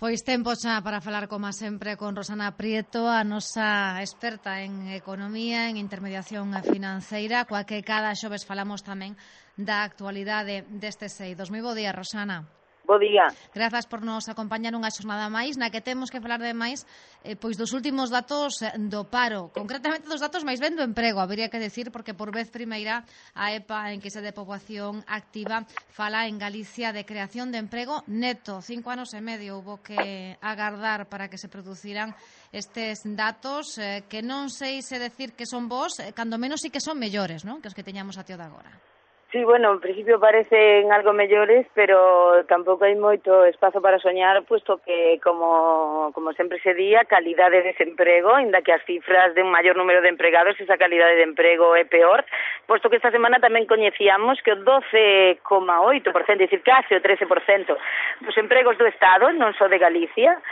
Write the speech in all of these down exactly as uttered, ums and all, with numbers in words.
Pois tempo xa para falar, como sempre, con Rosana Prieto, a nosa experta en economía, en intermediación financeira, coa que cada xoves falamos tamén da actualidade destes eidos. Moi bo día, Rosana. Bo día. Grazas por nos acompañar unha xornada máis na que temos que falar de máis eh, pois dos últimos datos do paro, concretamente dos datos máis ben do emprego, habería que decir, porque por vez primeira a EPA, en que se de poboación activa, fala en Galicia de creación de emprego neto. Cinco anos e medio hubo que agardar para que se produciran estes datos eh, que non sei se decir que son bons, eh, cando menos sí que son mellores, non? Que os que teñamos a tío de agora. Sí, bueno, en principio parecen algo mellores, pero tampouco hai moito espazo para soñar, puesto que, como, como sempre se di, a calidade de desemprego, inda que as cifras de un maior número de empregados, esa calidade de emprego é peor, posto que esta semana tamén coñecíamos que o doce coma oito por cento, é dicir, case o trece por cento dos empregos do Estado, non só de Galicia,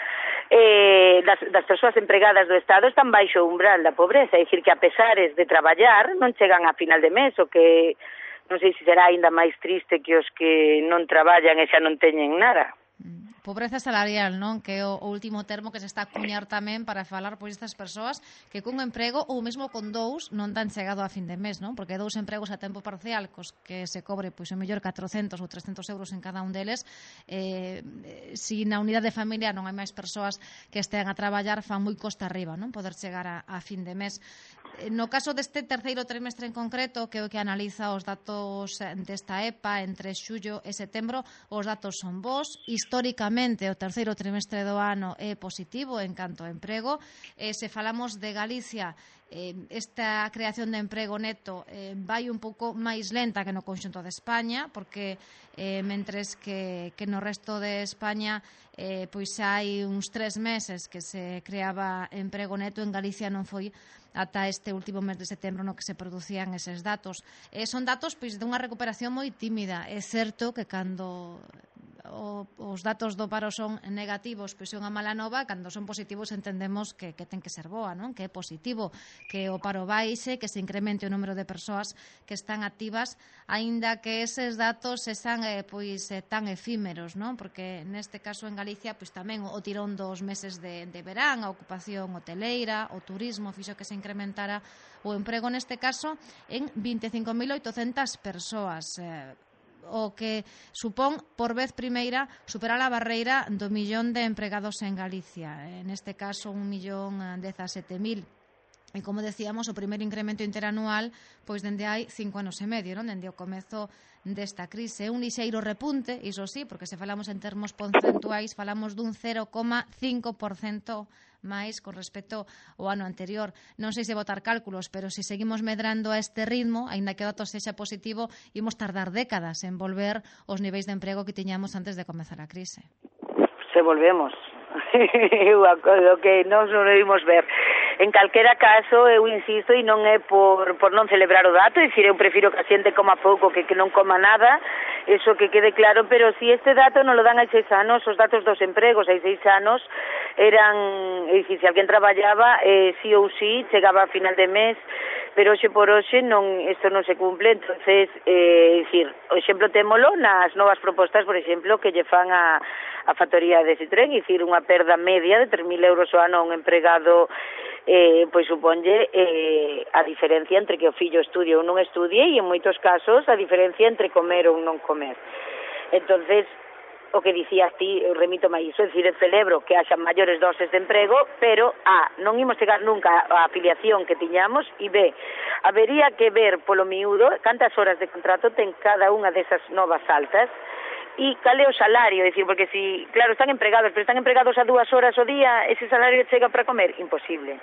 eh, das, das persoas empregadas do Estado están baixo o umbral da pobreza, é dicir, que a pesares de traballar non chegan a final de mes, o que non sei se será aínda máis triste que os que non traballan e xa non teñen nada. Pobreza salarial, non? Que é o último termo que se está a cuñar tamén para falar por estas persoas que cun emprego ou mesmo con dous non dan chegado a fin de mes, non? Porque dous empregos a tempo parcial cos que se cobre pois o mellor catrocentos ou trescentos euros en cada un deles, eh, si na unidade de familia non hai máis persoas que estean a traballar, fan moi costa arriba, non? Poder chegar a, a fin de mes. No caso deste terceiro trimestre en concreto, que é o que analiza os datos desta EPA entre xullo e setembro, os datos son bons. Históricamente, o terceiro trimestre do ano é positivo en canto a emprego. E se falamos de Galicia, eh, esta creación de emprego neto eh, vai un pouco máis lenta que no conxunto de España, porque eh, mentres que, que no resto de España eh, pois hai uns tres meses que se creaba emprego neto, en Galicia non foi ata este último mes de setembro no que se producían eses datos. Eh, son datos pois dunha recuperación moi tímida. É certo que cando o, os datos do paro son negativos, pois é unha mala nova, cando son positivos entendemos que, que ten que ser boa, non? Que é positivo, que o paro baixe, que se incremente o número de persoas que están activas, aínda que eses datos sean eh, pois eh, tan efímeros, non? Porque neste caso en Galicia pois tamén o tirón dos meses de, de verán, a ocupación hoteleira, o turismo fixo que se incrementara o emprego neste caso en vinte e cinco mil oitocentas persoas, eh, o que supón por vez primeira superar a barreira do millón de empregados en Galicia, en este caso un millón dezasete mil. E como decíamos, o primeiro incremento interanual pois dende hai cinco anos e medio, non? Dende o comezo desta crise. Un lixeiro repunte, iso sí, porque se falamos en termos porcentuais, falamos dun cero coma cinco por cento máis con respecto ao ano anterior. Non sei se botar cálculos, pero se seguimos medrando a este ritmo, aínda que o dato sexa positivo, imos tardar décadas en volver aos niveis de emprego que tiñamos antes de comezar a crise. Se volvemos. O que non sobrevimos ver. En calquera caso, eu insisto, e non é por, por non celebrar o dato, é dicir, eu prefiro que a xente coma pouco que que non coma nada, eso que quede claro, pero si este dato non lo dan hai seis anos, os datos dos empregos hai seis anos eran, é dicir, se alguén traballaba, eh, sí ou sí, chegaba a final de mes, pero hoxe por hoxe non, isto non se cumple, entonces, eh, é dicir, o exemplo témolo nas novas propostas, por exemplo, que lle fan a, a factoría de Citroën, é dicir, unha perda media de tres mil euros ao ano a un empregado, eh, pois suponlle eh, a diferencia entre que o fillo estudie ou non estudie e en moitos casos a diferencia entre comer ou non comer. Entonces, o que dicías ti, eu remito máis iso, é dicir, celebro que haxa maiores doses de emprego, pero A, non imos chegar nunca á afiliación que tiñamos, e B, habería que ver polo miúdo cantas horas de contrato ten cada unha desas novas altas, e cal é o salario, é dicir, porque si, claro, están empregados, pero están empregados a dúas horas ao día, ese salario chega para comer? Imposible.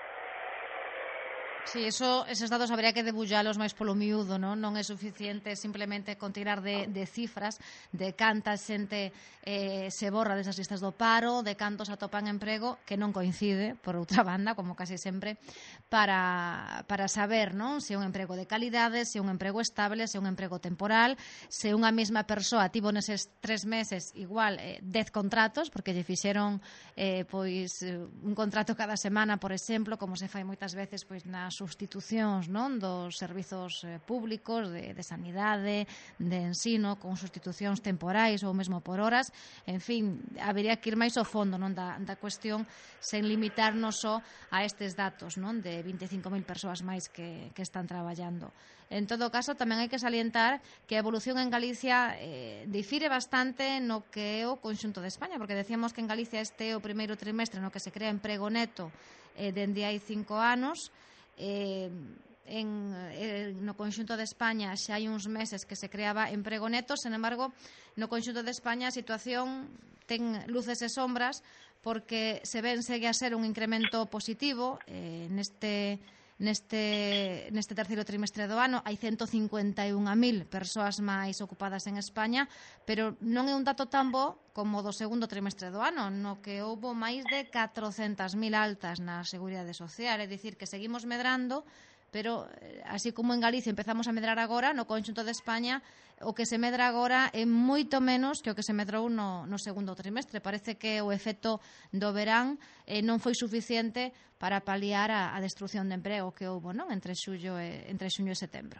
Sí, eso, esos datos habría que debullalos máis polo miúdo, non? Non é suficiente simplemente con tirar de, de cifras de canta xente eh, se borra desas listas do paro, de cantos atopan emprego, que non coincide, por outra banda, como casi sempre, para, para saber, non? Se é un emprego de calidade, se é un emprego estable, se é un emprego temporal, se unha mesma persoa tivo neses tres meses igual eh, dez contratos, porque lle fixeron eh, pois un contrato cada semana, por exemplo, como se fai moitas veces pois nas sustitucións, non, dos servizos eh, públicos de, de sanidade, de ensino, con sustitucións temporais ou mesmo por horas. En fin, habería que ir máis ao fondo, non, da, da cuestión, sen limitarnos só a estes datos, non, de vinte e cinco mil persoas máis que, que están traballando. En todo caso, tamén hai que salientar que a evolución en Galicia eh, difire bastante no que é o conxunto de España, porque decíamos que en Galicia este é o primeiro trimestre no que se crea emprego neto eh, dende hai cinco anos. Eh, en, eh, no conxunto de España xa hai uns meses que se creaba emprego neto, sen embargo, no conxunto de España a situación ten luces e sombras, porque se ven segue a ser un incremento positivo eh, neste Neste, neste terceiro trimestre do ano hai ciento cincuenta e un mil persoas máis ocupadas en España, pero non é un dato tan bo como do segundo trimestre do ano, no que houbo máis de catrocentas mil altas na Seguridade Social, é dicir, que seguimos medrando, pero así como en Galicia empezamos a medrar agora, no conxunto de España o que se medra agora é moito menos que o que se medrou no, no segundo trimestre. Parece que o efecto do verán eh, non foi suficiente para paliar a, a destrucción de emprego que houbo, non, entre xullo e, entre xuño e setembro.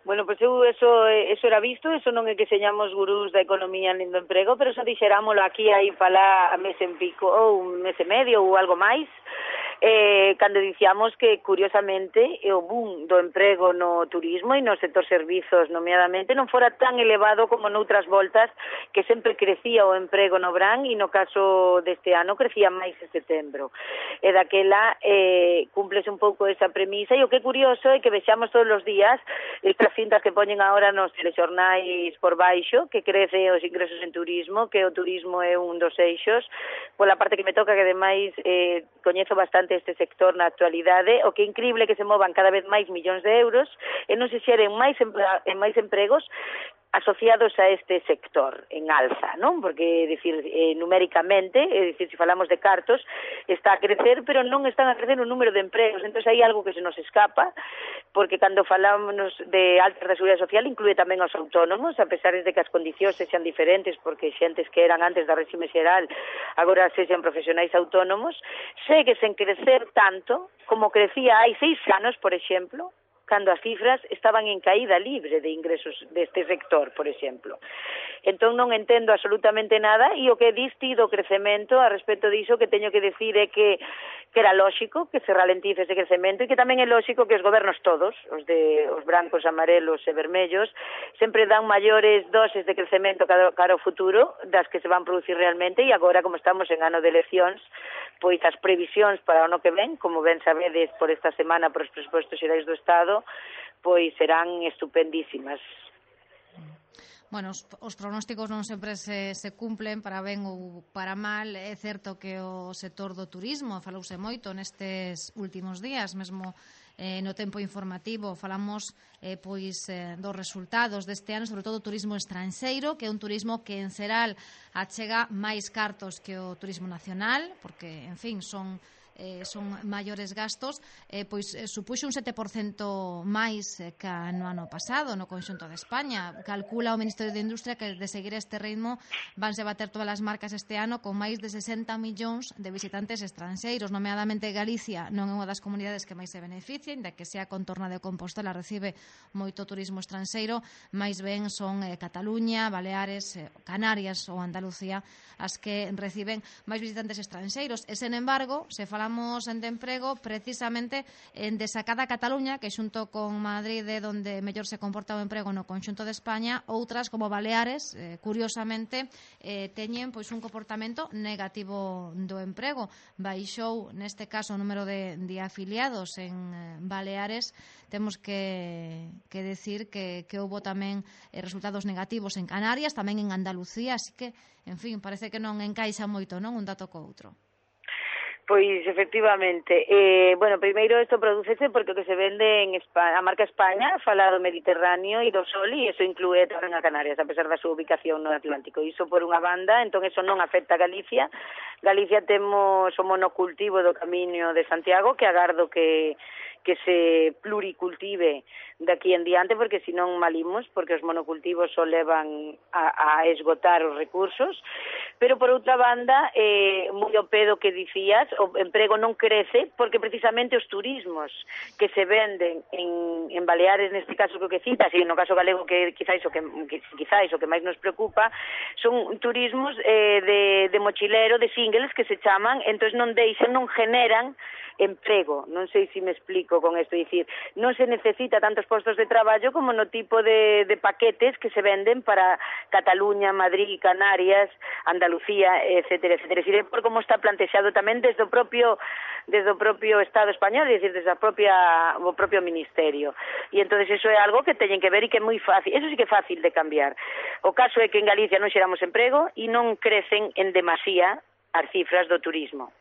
Bueno, pois eu eso, eso era visto, eso non é que señamos gurús da economía nin do emprego, pero eso dixerámolo aquí aí para a mes en pico, ou un mes e medio ou algo máis, eh, cando dicíamos que, curiosamente, o boom do emprego no turismo e no sector servizos, nomeadamente, non fora tan elevado como noutras voltas, que sempre crecía o emprego no verán e no caso deste ano crecía máis en setembro. E daquela eh, cúmplese un pouco esa premisa, e o que é curioso é que vexamos todos os días estas cintas que poñen agora nos telexornais por baixo, que crece os ingresos en turismo, que o turismo é un dos eixos, pola parte que me toca, que ademais eh, coñezo bastante este sector na actualidade, o que é increíble que se movan cada vez máis millóns de euros e non se xeren máis, en máis empregos asociados a este sector en alza, non? Porque, decir, eh, numéricamente, é dicir, se falamos de cartos, está a crecer, pero non están a crecer o número de empregos. Entón, hai algo que se nos escapa, porque cando falamos de altas da Seguridade Social inclúe tamén aos autónomos, a pesar de que as condicións sexan diferentes, porque xentes que eran antes da réxime xeral agora sexan profesionais autónomos, segue sen crecer tanto como crecía hai seis anos, por exemplo, cando as cifras estaban en caída libre de ingresos deste sector, por exemplo. Entón non entendo absolutamente nada, e o que diste do crecemento a respecto diso que teño que decir é que, que era lóxico que se ralentice ese crecemento, e que tamén é lóxico que os gobernos todos, os de os brancos, amarelos e vermellos, sempre dan maiores doses de crecemento cara, cara ao futuro das que se van producir realmente, e agora, como estamos en ano de eleccións, pois as previsións para o ano que ven, como ben sabedes por esta semana por os presupostos xerais do Estado, pois serán estupendísimas. Bueno, os, os pronósticos non sempre se, se cumplen para ben ou para mal. É certo que o sector do turismo falouse moito nestes últimos días, mesmo eh, no tempo informativo falamos eh, pois eh, dos resultados deste ano, sobre todo o turismo estranxeiro, que é un turismo que en xeral achega máis cartos que o turismo nacional, porque, en fin, son Eh, son maiores gastos, eh, pois eh, supuxo un sete por cento máis eh, que no ano pasado no conxunto de España. Calcula o Ministerio de Industria que de seguir este ritmo vanse bater todas as marcas este ano con máis de sesenta millóns de visitantes estranxeiros. Nomeadamente Galicia non é unha das comunidades que máis se beneficien, da que sea contorna de Compostela recibe moito turismo estranxeiro, máis ben son eh, Cataluña, Baleares, eh, Canarias ou Andalucía as que reciben máis visitantes estranxeiros. E, sen embargo, se fala Falamos en de emprego precisamente en desacada Cataluña, que xunto con Madrid é onde mellor se comporta o emprego no conxunto de España. Outras, como Baleares, eh, curiosamente, eh, teñen pois un comportamento negativo do emprego. Baixou, neste caso, o número de, de afiliados en eh, Baleares. Temos que, que decir que, que houbo tamén eh, resultados negativos en Canarias, tamén en Andalucía, así que, en fin, parece que non encaixa moito, non, un dato co outro. Pois, efectivamente, eh, bueno, primeiro isto prodúcese porque o que se vende en España, a marca España fala do Mediterráneo e do Sol, e iso inclúe tamén a Canarias, a pesar da súa ubicación no Atlántico. Iso por unha banda, entón iso non afecta a Galicia. Galicia temos o monocultivo do Camiño de Santiago, que agardo que que se pluricultive daqui en diante, porque senón malimos, porque os monocultivos só levan a, a esgotar os recursos. Pero, por outra banda, eh, moi ao pedo que dicías, o emprego non crece porque precisamente os turismos que se venden en, en Baleares, neste caso que citas, e no caso galego que quizáis o que, que quizáis o que máis nos preocupa, son turismos eh, de, de mochilero, de singles que se chaman, entón non deixan, non generan emprego. Non sei se me explico con isto, dicir, non se necesita tantos postos de traballo como no tipo de, de paquetes que se venden para Cataluña, Madrid, Canarias, Andalucía, etcétera, etcétera. Dicir, por como está plantexado tamén desde o propio desde o propio Estado español, é dicir, desde a propia o propio Ministerio. E entonces eso é algo que teñen que ver e que é moi fácil, eso sí que é fácil de cambiar. O caso é que en Galicia non xeramos emprego e non crecen en demasía as cifras do turismo.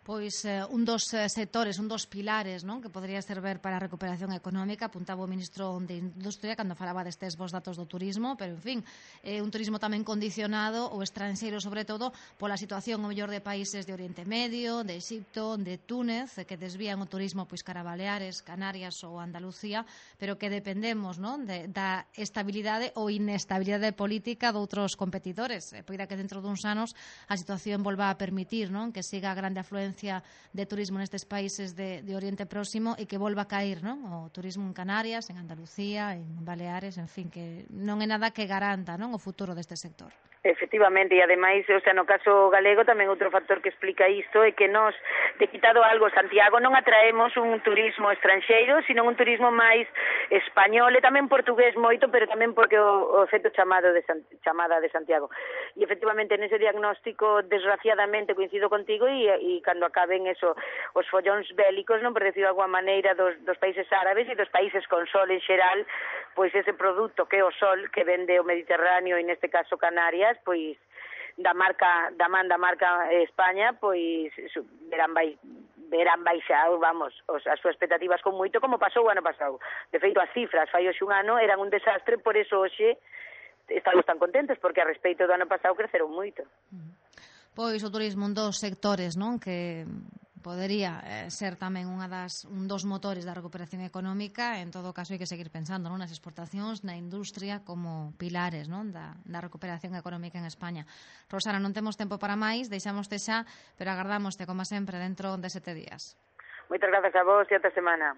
Pois eh, un dos eh, sectores, un dos pilares, non, que podría servir para a recuperación económica, apuntaba o ministro de Industria cando falaba destes bons datos do turismo, pero en fin, é eh, un turismo tamén condicionado o estranxeiro, sobre todo pola situación o mellor de países de Oriente Medio, de Egipto, de Túnez, que desvían o turismo pois cara a Baleares, Canarias ou Andalucía, pero que dependemos, non, de, da estabilidade ou inestabilidade política de outros competidores. Eh, poida que dentro duns anos a situación volva a permitir, non, que siga a grande afluencia de turismo nestes países de, de Oriente Próximo e que volva a cair, non? O turismo en Canarias, en Andalucía, en Baleares, en fin, que non é nada que garanta, non, o futuro deste sector. Efectivamente, e ademais, o sea, no caso galego tamén outro factor que explica isto é que nos, de quitado algo Santiago, non atraemos un turismo estranxeiro, sino un turismo máis español e tamén portugués moito, pero tamén porque o, o efecto chamado de San, chamada de Santiago. E efectivamente nese diagnóstico, desgraciadamente, coincido contigo, e, e cando acaben eso, os follóns bélicos, non, por decir de alguma maneira, dos, dos países árabes e dos países con sol en xeral, pois ese produto que é o sol que vende o Mediterráneo e neste caso Canarias, pois da marca da man da marca España, pois verán vai verán baixar, vamos, os, as súas expectativas con moito, como pasou o ano pasado. De feito, as cifras fai hoxe un ano eran un desastre, por eso hoxe estamos tan contentos, porque a respeito do ano pasado creceron moito. Pois o turismo un dos sectores, non, que podería eh, ser tamén unha das, un dos motores da recuperación económica. En todo caso, hai que seguir pensando, non, nas exportacións, na industria como pilares, non, da, da recuperación económica en España. Rosana, non temos tempo para máis, deixámoste xa, pero agardámoste, como sempre, dentro de sete días. Moitas grazas a vos e ata semana.